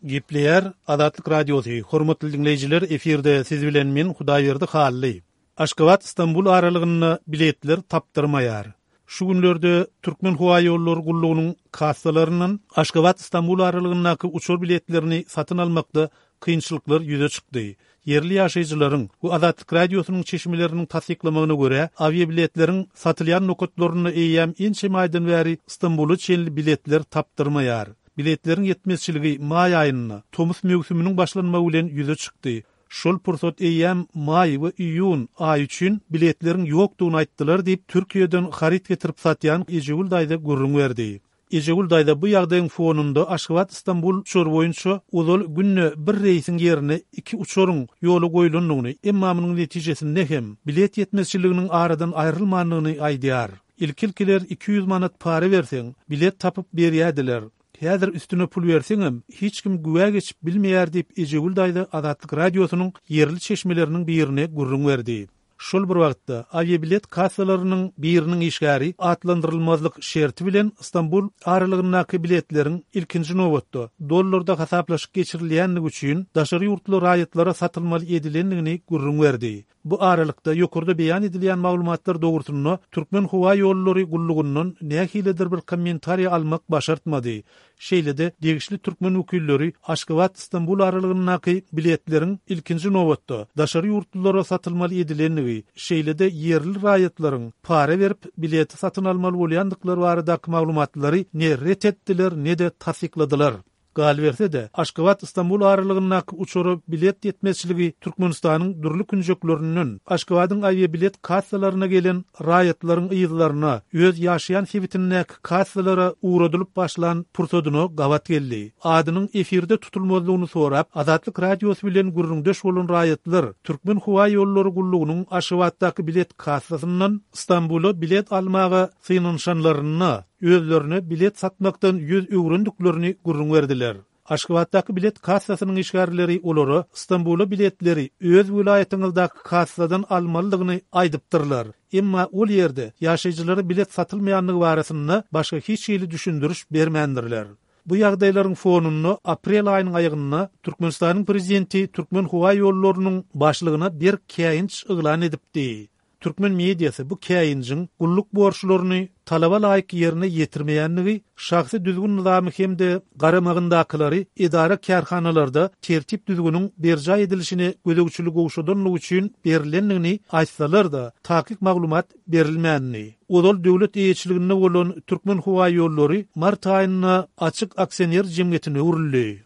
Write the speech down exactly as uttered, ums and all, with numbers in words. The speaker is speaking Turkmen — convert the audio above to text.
Gepleýär Azatlyk Radiosy, hormatly diňleýjiler, efirde siz bilen men Hudaýberdi Hally. Aşgabat-Stambul aralygynda biletler tapdyrmaýar. Şu günlerde Türkmen howa ýollary gullugynyň kassalaryndan Aşgabat-Stambul aralygyndaky uçar biletlerini satyn almakda kynçylyklar ýüze çykdy. Ýerli ýaşaýjylaryň we Azatlyk Radiosynyň çeşmeleriniň tassyklamagyna görä, awiabiletleriň satylýan nokatlarynda eýýäm ençeme aýdan bäri Stambula çenli biletler tapdyrmaýar. Biletleriň ýetmezçiligi maý aýynda, tomus möwsüminiň başlanmagy bilen ýüze çykdy. Şol pursat eýýäm maý we iýun aýy üçin biletleriň ýokdugyny aýtdylar diýip, Türkiýeden haryt getirip satýan Ejegül daýza gürrüň berdi. Ejegül daýza bu ýagdaýyň fonunda Aşgabat-Stambul uçary boýunça ozal günde bir reýsiň ýerine iki uçaryň ýola goýlandygyny, emma munuň netijesinde hem bilet ýetmezçiliginiň aradan aýrylmandygyny aýdýar. Ilki-ilkiler iki ýüz manat para berseň, bilet tapyp berýärdiler. Häzir üstüne pul berseňem, hiç kim güwä geçip bilmeýär diýip, Ejegül daýza Azatlyk Radiosynyň ýerli çeşmeleriniň birine gürrüň berdi. Şol bir wagtda, awiabilet kassalarynyň biriniň işgäri atlandyrylmazlyk şerti bilen Stambul aralygyndaky biletleriň ilkinji nobatda dollarda hasaplaşyk geçirilýändigi üçin daşary ýurtly raýatlara satylmaly edilendigini gürrüň berdi. Bu aralykda, ýokarda beýan edilýän maglumatlar dogrusynda Türkmenhowaýollary gullugyndan nähilidir bir kommentariý almak başartmady. Şeýle-de, degişli türkmen wekilleri Aşgabat-Stambul aralygyndaky biletleriň ilkinji nobatda daşary ýurtlulara satylmaly edilendigi, şeýle-de ýerli raýatlaryň para berip bileti satyn almaly bolýandyklary baradaky maglumatlary ne ret etdiler, ne-de tassykladylar. Galyberse-de, Aşgabat-Stambul aralygyndaky uçara bilet ýetmezçiligi Türkmenistanyň dürli künjeklerinden Aşgabadyň awiabilet kassalaryna gelen raýatlaryň yzlaryna, öz ýaşaýan sebitindäki kassalara ugradylyp başlan pursadyna gabat geldi. Adynyň efirde tutulmazlygyny sorap, Azatlyk Radiosy bilen gürrüňdeş bolan raýatlar Türkmenhowaýollary gullugynyň Aşgabatdaky bilet kassasyndan Stambula bilet almaga synanyşanlarynda, özlerine bilet satmakdan ýüz öwrendiklerini gürrüň berdiler. Aşgabatdaky bilet kassasynyň işgärleri olara Stambula biletleri öz welaýatyňyzdaky kassadan almalydygyny aýdypdyrlar. Emma ol ýerde ýaşaýjylara bilet satylmaýandygy barasynda başga hiç hili düşündiriş bermändirler. Bu ýagdaýlaryň fonunda aprel aýynyň aýagynda Türkmenistanyň prezidenti Türkmenhowaýollarynyň başlygyna berk käýinç yglan edipdi. Türkmen mediasy bu käýinjiň gulluk borçlaryny talaba laýyk ýerine ýetirmeýändigi, şahsy düzgün-nyzamy hem-de garamagyndakylary edara-kärhanalarda tertip-düzgüniň berjaý edilişine gözegçiligi gowşadanlygy üçin berlendigini aýtsalar-da, takyk maglumat berilmändi. Ozal döwlet eýeçiliginde bolan Türkmenhowaýollary mart aýynda açyk aksioner jemgyýetine öwrüldi.